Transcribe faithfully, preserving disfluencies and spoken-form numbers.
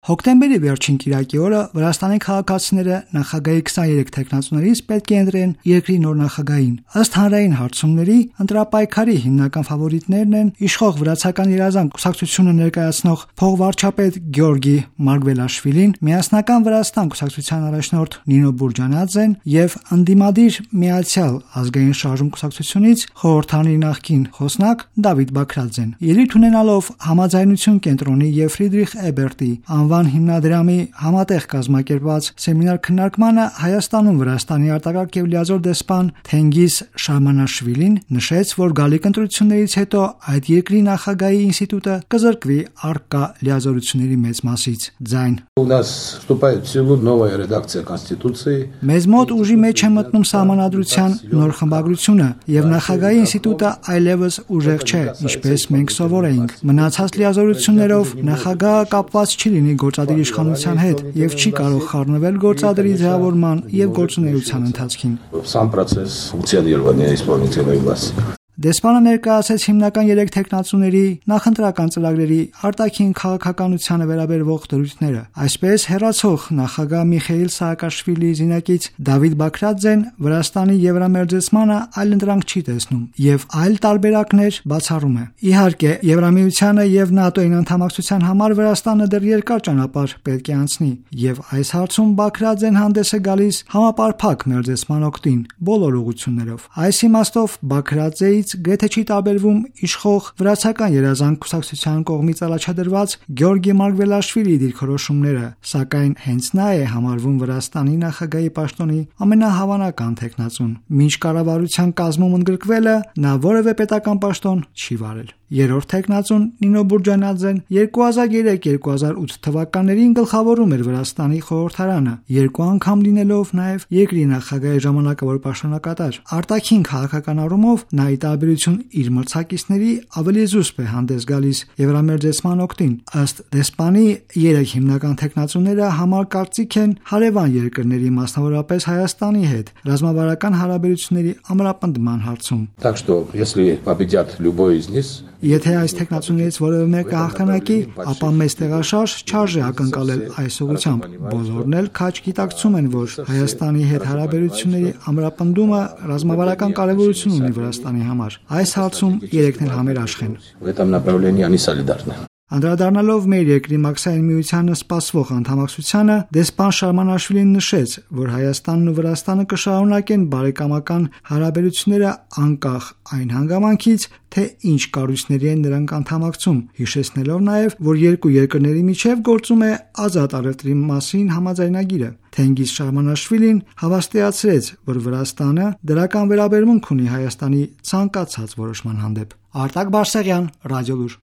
Հոկտեմբերի վերջին կիրակի օրը Վրաստանի քաղաքացիները նախագահի քսաներեք թեկնածուներից պետք է ընտրեն երկրի նոր նախագահին։ Ըստ հանրային հարցումների, ընտրապայքարի հիմնական ֆավորիտներն են իշխող վրացական երազանք կուսակցությունը ներկայացնող փոխվարչապետ Գյորգի Մարգվելաշվիլին, Միասնական Վրաստան կուսակցության առաջնորդ Նինո Բուրջանաձեն եւ ընդդիմադիր Միացյալ ազգային շարժում կուսակցությունից խորհրդանի նախկին խոսնակ Դավիթ Բաքրաձեն։ Ելույթ ունենալով համաձայնություն կենտրոնի եւ Ֆրիդրիխ Էբերտի անվան հիմնադրամի համատեղ կազմակերպված սեմինար քննարկմանը Հայաստանում Վրաստանի արտակարգ եւ լիազոր դեսպան Թենգիզ Շահմանաշվիլին նշեց, որ գալիք ընտրություններից հետո այդ երկրի նախագահի ինստիտուտը կզրկվի առկա լիազորությունների մեծ մասից։ Ձայն У нас вступает в силу новая редакция Конституции. Մեզ մոտ ուժի մեջ է մտնում սահմանադրության նոր խմբագրությունը եւ նախագահի ինստիտուտը այլևս ուժեղ չէ, ինչպես մենք սովոր էինք։ Մնացած լիազորություններով նախագահը կապված չի լինի գործադիր իշխանության հետ եւ չի կարող խառնվել գործադրի ձևավորման եւ գործունեության ընթացքին։ Сам процесс функционирования исполнительной власти. Դեսպանը ներկայացրեց հիմնական երեք թեկնածուների նախընտրական ծրագրերի արտաքին քաղաքականությանը վերաբերող դրույթները։ Այսպես հերացող նախագահ Միխեիլ Սահակաշվիլիի զինակից Դավիթ Բաքրաձեն Վրաստանի եվրամերձեցմանը այլընտրանք չի տեսնում եւ այլ տարբերակներ բացառում է։ Իհարկե, Եվրամիությանը եւ ՆԱՏՕ-ին անդամակցության համար Վրաստանը դեռ երկար ճանապարհ պետք է անցնի եւ այս հարցում Բաքրաձեն հանդես է գալիս համապարփակ մերձեցման օգտին բոլոր ուղղություններով։ Այս իմաստով Բաքրաձեից գրեթե չի տարբերվում իշխող վրացական երազանք կուսակցության կողմից առաջադրված Գյորգի Մարգվելաշվիլիի դիրքորոշումները, սակայն հենց նա է համարվում Վրաստանի նախագահի պաշտոնի ամենահավանական թեկնածուն։ Մինչ կառավարության կազմում ընդգրկվելը նա որևէ պետական պաշտոն չի վարել։ Երրորդ թեկնածուն Նինո Բուրջանաձեն երկու հազար երեք երկու հազար ութ թվականներին գլխավորում էր Վրաստանի խորհրդարանը, երկու անգամ լինելով նաև երկրի նախագահի ժամանակավոր պաշտոնակատար։ Արտաքին քաղաքական առումով նա ի տարբերություն իր մրցակիցների ավելի զուսպ է հանդես գալիս եվրամերձեցման օգտին։ Ըստ դեսպանի երեք հիմնական թեկնածուները համար կարծիք են հարևան երկրների, մասնավորապես Հայաստանի հետ ռազմավարական հարաբերությունների ամրապնդման հարցում։ Так что, если победят любой из них, Եթե այս տեխնացուներից որևէ մեկը հաղթանակի, ապա մեծ տեղաշարժ չարժե ակնկալել այս ուղղությամբ։ Բոլորն էլ քաջ գիտակցում են, որ Հայաստանի հետ հարաբերությունների ամրապնդումը ռազմավարական կարևորություն ունի Վրաստանի համար։ Այս հարցում երեքն էլ համերաշխ են։ в этом направлении они солидарны. Անդրադառնալով մեր երկրի մաքսային միությանը սպասվող անդամակցությանը, դեսպան Շահմանաշվիլին նշեց, որ Հայաստանն ու Վրաստանը կշարունակեն բարեկամական հարաբերությունները անկախ այն հանգամանքից, թե ինչ կառույցների են նրանք անդամակցում, հիշեցնելով նաև, որ երկու երկրների միջև գործում է ազատ առևտրի մասին համաձայնագիրը։ Թենգիզ Շահմանաշվիլին հավաստիացրեց, որ Վրաստանը դրական վերաբերմունք ունի Հայաստանի ցանկացած որոշման հանդեպ։ Արտակ Բարսեղյան, Ռադիոլուր։